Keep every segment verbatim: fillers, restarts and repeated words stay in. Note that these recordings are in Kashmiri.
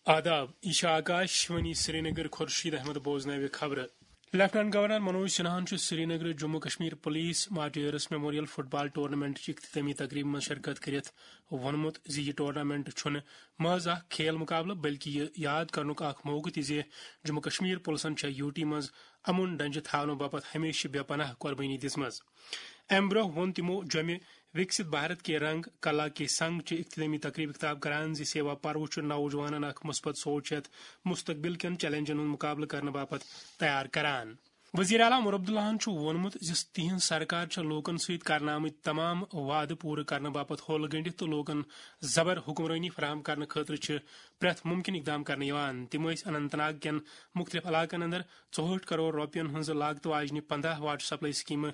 آداب، یہ چھِ آکاش وانی سرینگر۔ خورشید احمد بوزناوِ خبرٕ۔ لیفٹیننٹ گورنر منوج سنہاہن چھُ سرینگرٕ Jammu Kashmir police martyrs memorial football ٹورنامنٹٕچ اختتامی تقریبہِ منٛز شرکت کٔرِتھ ووٚنمُت زِ یہِ ٹورنامنٹ چھُنہٕ محض اکھ کھیل مقابلہٕ، بلکہِ یہِ یاد کرنُک اکھ موقعہٕ تہِ زِ جموں کشمیر پُلسن چھےٚ یوٗ ٹی منٛز امُن ڈنجہِ تھاونہٕ باپتھ ہمیشہِ بے پناہ قربٲنی دِژمٕژ۔ امہِ برٛونٛہہ ووٚن تِمو جوٚمہِ وِکسِت بھارت کے رنگ کلا کے سنگ چہِ اختتٲمی تقریبہِ خطاب کران زِ سیوا پرو چھُ نوجوانن اکھ مثبت سونچ ہیتھ مستقبل کٮ۪ن چیلنجن ہُنٛد مقابلہٕ کرنہٕ باپتھ تیار کران۔ وزیر اعلیٰ عمر عبداللہن چھُ ووٚنمُت زِ تِہنٛز سرکار چھےٚ لوٗکن سۭتۍ کرنہٕ آمٕتۍ تمام وعدٕ پوٗرٕ کرنہٕ باپتھ ہوٚل گٔنٛڈِتھ تہٕ لوٗکن زبر حکمرٲنی فراہم کرنہٕ خٲطرٕ چھِ پرٛٮ۪تھ مُمکِن اقدام کرنہٕ یِوان۔ تِم ٲسۍ اننت ناگ کٮ۪ن مُختٔلِف علاقن اندر ژُہٲٹھ کرور رۄپین ہٕنٛز لاگتہٕ واجنہِ پنداہ واٹر سپلائی سکیمہٕ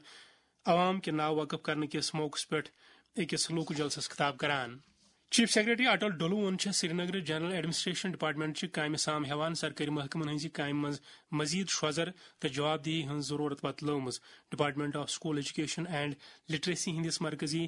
عوام کہِ ناو وقف کرنہٕ کِس موقعس پٮ۪ٹھ أکِس لوٗکہٕ جلسس خطاب کران۔ چیف سیکرٹری اٹل ڈولوہن چھےٚ سرینگرٕ جنرل ایڈمنسٹریشن ڈپارٹمنٹ چہِ کامہِ سام ہٮ۪وان سرکٲرۍ محکمن ہٕنٛزِ کامہِ منٛز مزید شوزر تہٕ جوابدہی ہٕنٛز ضروٗرت وتلٲومٕژ۔ Department of school education and literacy ہٕنٛدِس مرکزی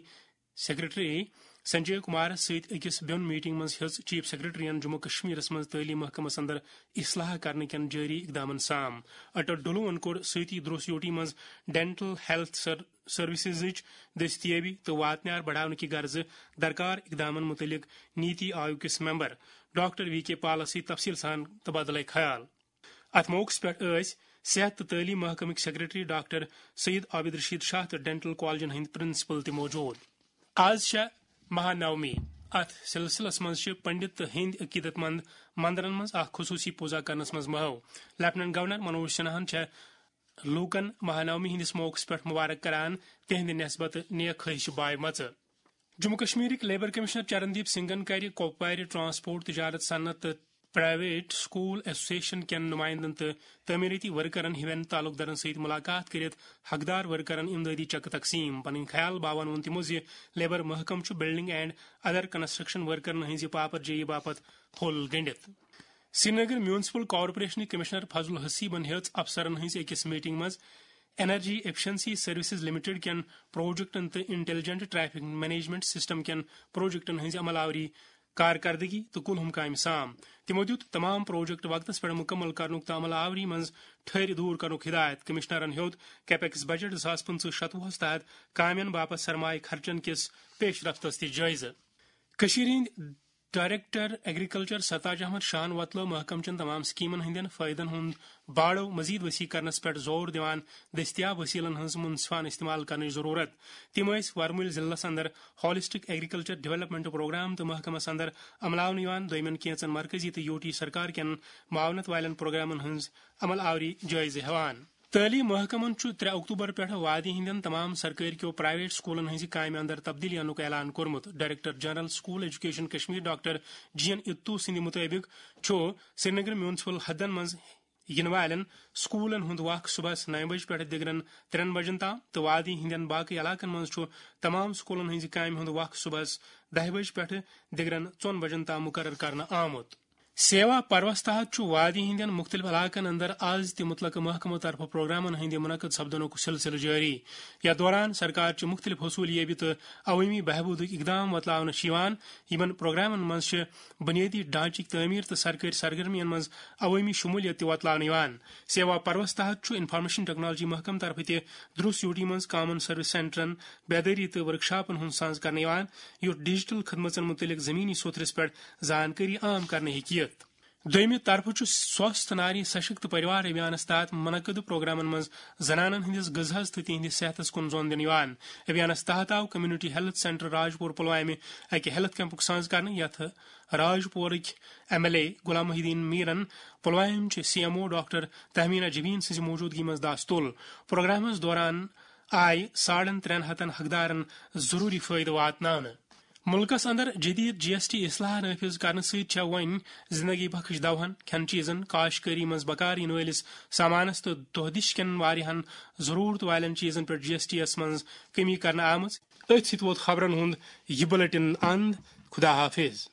سیکرٹری سنجے کمارس سۭتۍ أکِس بیوٚن میٹنگ منٛز ہیٚژ چیف سیکرٹریَن جموں کشمیرس منٛز تعلیٖم محکمس اندر اصلاح کرنہٕ کٮ۪ن جٲری اقدامن سام۔ اٹل ڈولوہن کوٚر سۭتی دروس یوٗ ٹی منٛز ڈینٹل ہیلتھ سر-، سروسزٕچ دٔستیٲبی تہٕ واتنیار بڑاونہٕ کہِ غرضہٕ درکار اقدامن مُتعلق نیتی آیوگ کِس ممبر ڈاکٹر وی کے پالس سۭتۍ تفصیل سان تبادلہ خیال۔ اتھ موقعس پٮ۪ٹھ ٲسۍ صحت تہٕ تعلیٖم محکمٕکۍ سیکرٹری ڈاکٹر سید عابد رشید شاہ تہٕ ڈینٹل کالجن ہٕنٛدۍ پرنسپل تہِ موجود۔ آز چھےٚ مہانومی۔ اتھ سلسلس منٛز چھِ پنڈت تہٕ ہیٚنٛدۍ عقیدت مند مندرن منٛز اکھ خصوٗصی پوٗزا کرنس منٛز محو۔ لیفٹیننٹ گورنر منوج سنہاہن چھےٚ لوٗکن مہانومی ہٕنٛدِس موقعس پٮ۪ٹھ مبارک کران تِہنٛدِ نسبتہٕ نیک خواہش بایمژٕ۔ جموں کشمیرٕکۍ لیبر کمشنر چرندیپ سنگھن کَرِ کۄپوارِ ٹرانسپورٹ، تجارت، صنعت تہٕ پرائیویٹ سکول ایسوسیشن کٮ۪ن نمائندن تہٕ تعمیرٲتی ورکرن ہِوٮ۪ن تعلقدارن سۭتۍ ملاقات کٔرِتھ حقدار ورکرن امدادی چیکہٕ تقسیٖم۔ پنٕنۍ خیال باوان ووٚن تِمو زِ لیبر محکمہٕ چھُ بلڈنگ اینڈ ادر کنسٹرکشن ورکرن ہٕنٛزِ پاپر جٲیی باپتھ ہوٚل گٔنٛڈِتھ۔ سرینگر میونسپل کارپوریشنٕکۍ کمشنر فضل حسیبن ہیٚژ افسرن ہٕنٛزِ أکِس میٹنگ منٛز انرجی ایفیشنسی سروسز لمیٹڈ کٮ۪ن پروجیکٹن تہٕ انٹیلیجنٹ ٹریفک مینجمنٹ سسٹم کٮ۪ن پروجیکٹن ہٕنٛزِ عمل آوری، کارکردگی تہٕ کُلہُم کامہِ سام۔ تِمو دیُت تمام پروجیکٹ وقتس پٮ۪ٹھ مُکمل کرنُک تہٕ عمل آوری منٛز ٹھٔرۍ دوٗر کرنُک ہدایت۔ کمشنرن ہیوٚت کیپیکس بجٹ زٕ ساس پٕنٛژٕہ شتوُہس تحت کامٮ۪ن باپتھ سرمایہ خرچن کِس پیش رفتس تہِ جٲیزٕ۔ کٔشیٖرِ ہٕنٛدۍ ڈائریکٹر ایگریکلچر ستاج احمد شاہن وۄتلٲو محکمہٕ چٮ۪ن تمام سکیمن ہٕنٛدٮ۪ن فٲیدن ہُنٛد باڑو مزید وسیع کرنس پٮ۪ٹھ زور دِوان دٔستیاب وسیلن ہٕنٛز منصفانہٕ استعمال کرنٕچ ضروٗرت۔ تِم ٲسۍ ورمُلۍ ضلعس اندر ہالسٹک ایگریکلچر ڈیولپمنٹ پروگرام تہٕ محکمس اندر عملاونہٕ یِوان دوٚیمٮ۪ن کینژن مرکزی تہٕ یوٗ ٹی سرکار کٮ۪ن معاونت والٮ۪ن پروگرامن ہٕنٛز عمل آوری جٲیزٕ ہٮ۪وان۔ تعلیٖم محکمن چھُ ترٛےٚ اکتوبر پٮ۪ٹھ وادی ہٕنٛدٮ۪ن تمام سرکٲرۍ کیو پرائیویٹ سکولن ہٕنٛزِ کامہِ اندر تبدیلی انُک اعلان کوٚرمُت۔ Director general school education Kashmir doctor G N Itoo سٕنٛدِ مُطٲبِق چھُ سرینگر میونسپل حدن منٛز یِنہٕ والٮ۪ن سکولن ہُنٛد وق صبحس نَیہِ بجہِ پٮ۪ٹھ دِگرن ترٛٮ۪ن بجن تام تہٕ وادی ہٕنٛدٮ۪ن باقٕے علاقن منٛز چھُ تمام سکولن ہٕنٛزِ کامہِ ہُنٛد وق صبحس دَہہِ بجہِ پٮ۪ٹھ دِگرن ژۄن بجن تام مُقرر کرنہٕ آمُت۔ سیوا پروس تحت چھُ وادی ہٕنٛدٮ۪ن مُختٔلِف علاقن اندر از تہِ مُتلقہٕ محکمہٕ طرفہٕ پروگرامن ہٕنٛدِ منعقد سپدنُک سلسلہٕ جٲری۔ یتھ دوران سرکار چہِ مُختٔلِف حصوٗلیٲبی تہٕ عوٲمی بہبوٗدٕکۍ اقدام وۄتلاونہٕ چھِ یِوان۔ یِمن پروگرامن منٛز چھِ بنیٲدی ڈھانچٕکۍ تعمیٖر تہٕ سرکٲرۍ سرگرمین منٛز عوٲمی شموٗلیت تہِ وۄتلاونہٕ یِوان۔ سیوا پروس تحت چھُ انفارمیشن ٹیکنالوجی محکمہٕ طرفہٕ تہِ دروس یوٗ ٹی منٛز کامن سروس سینٹرن بیدٲری تہٕ ورکشاپن ہُنٛد سانز کرنہٕ یِوان، یُتھ ڈیجیٹل خدمژن مُتعلق زمینی سوٚتھرِس پٮ۪ٹھ زانکٲری عام کرنہٕ ہیٚکہِ یِتھ۔ دوٚیمہِ طرفہٕ چھُ سوستھ ناری سشکت پریوار ابھیانس تحت منعقد پروگرامن منٛز زنانن ہٕنٛدِس غذہس تہٕ تِہنٛدِس صحتس کُن زون دِنہٕ یِوان۔ ابھیانس تحت آو کمیونٹی ہیلتھ سینٹر راج پور پلوامہِ اکہِ ہیلتھ کیمپُک سانز کرنہٕ، یتھ راج پورٕکۍ M L A Ghulam Mohi Uddin میرن، پلوامہِ چہِ C M O doctor Tahmina Jabeen سٕنٛزِ موجودگی منٛز دس تُل۔ پروگرامس دوران آیہِ ساڑن ترٛٮ۪ن ہتن حقدارن ضروٗری فٲیدٕ واتناونہٕ۔ مُلکس اندر جدید جی ایس ٹی اصلاح نافذ کرنہٕ سۭتۍ چھےٚ وۄنۍ زندگی بخش دوہن، کھٮ۪ن چیزن، کاشتکٲری منٛز بکار یِنہٕ وٲلِس سامانس تہٕ دۄہ دِش کٮ۪ن واریاہن ضروٗرت والٮ۪ن چیزن پٮ۪ٹھ جی ایس ٹی یس منٛز کمی کرنہٕ آمٕژ۔ أتھۍ سۭتۍ ووت خبرن ہُنٛد یہِ بلیٹن اند۔ خدا حافظ۔